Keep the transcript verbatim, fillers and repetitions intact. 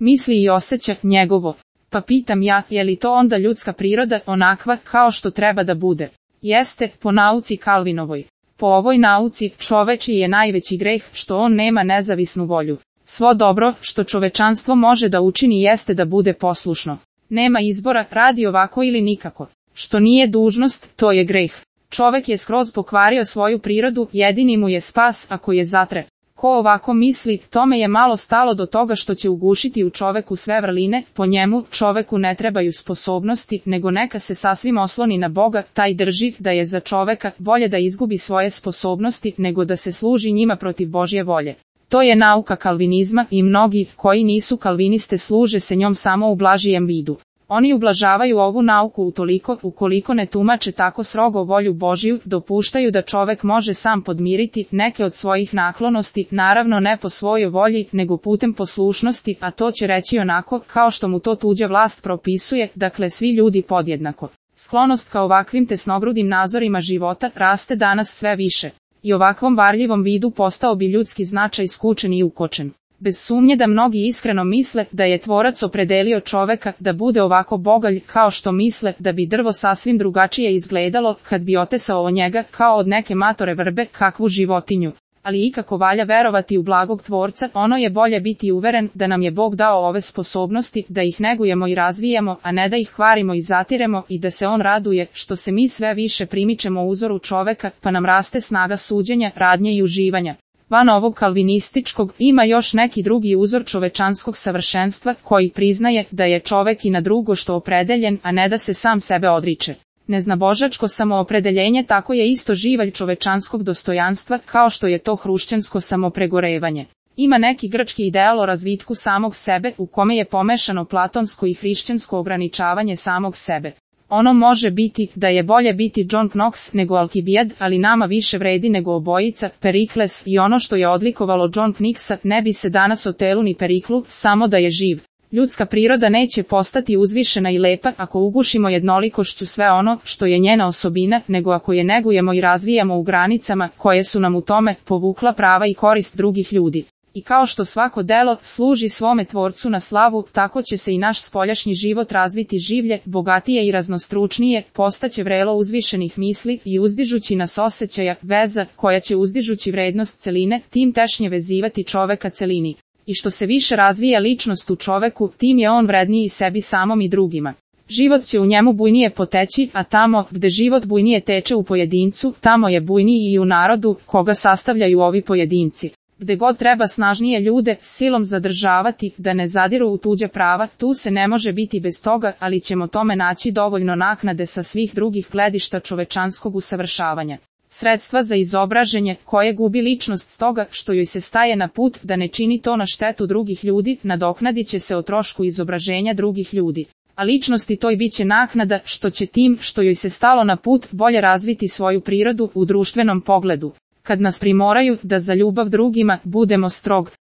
misli i osjeća njegovo. Pa pitam ja, je li to onda ljudska priroda onakva kao što treba da bude? Jeste, po nauci Kalvinovoj. Po ovoj nauci, čovečiji je najveći greh što on nema nezavisnu volju. Svo dobro što čovečanstvo može da učini jeste da bude poslušno. Nema izbora, radi ovako ili nikako. Što nije dužnost, to je greh. Čovek je skroz pokvario svoju prirodu, jedini mu je spas ako je zatre. Ko ovako misli, tome je malo stalo do toga što će ugušiti u čoveku sve vrline, po njemu, čoveku ne trebaju sposobnosti, nego neka se sasvim osloni na Boga, taj drži da je za čoveka bolje da izgubi svoje sposobnosti, nego da se služi njima protiv Božje volje. To je nauka kalvinizma i mnogi, koji nisu kalviniste, služe se njom samo u blažijem vidu. Oni ublažavaju ovu nauku utoliko, ukoliko ne tumače tako strogo volju Božju, dopuštaju da čovek može sam podmiriti neke od svojih naklonosti, naravno ne po svojoj volji, nego putem poslušnosti, a to će reći onako, kao što mu to tuđa vlast propisuje, dakle svi ljudi podjednako. Sklonost ka ovakvim tesnogrudim nazorima života raste danas sve više. I ovakvom varljivom vidu postao bi ljudski značaj skučen i ukočen. Bez sumnje da mnogi iskreno misle da je Tvorac opredelio čoveka da bude ovako bogalj, kao što misle da bi drvo sasvim drugačije izgledalo kad bi otesao o njega kao od neke matore vrbe kakvu životinju. Ali ikako valja verovati u blagog Tvorca, ono je bolje biti uveren da nam je Bog dao ove sposobnosti, da ih negujemo i razvijamo, a ne da ih kvarimo i zatiremo, i da se on raduje što se mi sve više primičemo uzoru čoveka, pa nam raste snaga suđenja, radnje i uživanja. Van ovog kalvinističkog ima još neki drugi uzor čovečanskog savršenstva koji priznaje da je čovek i na drugo što opredeljen, a ne da se sam sebe odriče. Neznabožačko samoopredeljenje tako je isto živalj čovečanskog dostojanstva kao što je to hrušćansko samopregorevanje. Ima neki grčki ideal o razvitku samog sebe u kome je pomešano platonsko i hrišćansko ograničavanje samog sebe. Ono može biti da je bolje biti John Knox nego Alkibijad, ali nama više vredi nego obojica, Perikles, i ono što je odlikovalo John Knoxa ne bi se danas o telu ni Periklu, samo da je živ. Ljudska priroda neće postati uzvišena i lepa ako ugušimo jednolikošću sve ono što je njena osobina, nego ako je negujemo i razvijamo u granicama koje su nam u tome povukla prava i korist drugih ljudi. I kao što svako delo služi svome Tvorcu na slavu, tako će se i naš spoljašnji život razviti življe, bogatije i raznostručnije, postaće vrelo uzvišenih misli i uzdižući nas osjećaja, veza, koja će uzdižući vrednost celine, tim tešnje vezivati čoveka celini. I što se više razvija ličnost u čoveku, tim je on vredniji sebi samom i drugima. Život će u njemu bujnije poteći, a tamo gde život bujnije teče u pojedincu, tamo je bujniji i u narodu, koga sastavljaju ovi pojedinci. Gde god treba snažnije ljude silom zadržavati, da ne zadiru u tuđa prava, tu se ne može biti bez toga, ali ćemo tome naći dovoljno naknade sa svih drugih gledišta čovečanskog usavršavanja. Sredstva za izobraženje, koje gubi ličnost stoga što joj se staje na put da ne čini to na štetu drugih ljudi, nadoknadit će se o trošku izobraženja drugih ljudi. A ličnosti toj bit će naknada što će tim što joj se stalo na put bolje razviti svoju prirodu u društvenom pogledu. Kad nas primoraju da za ljubav drugima budemo strog,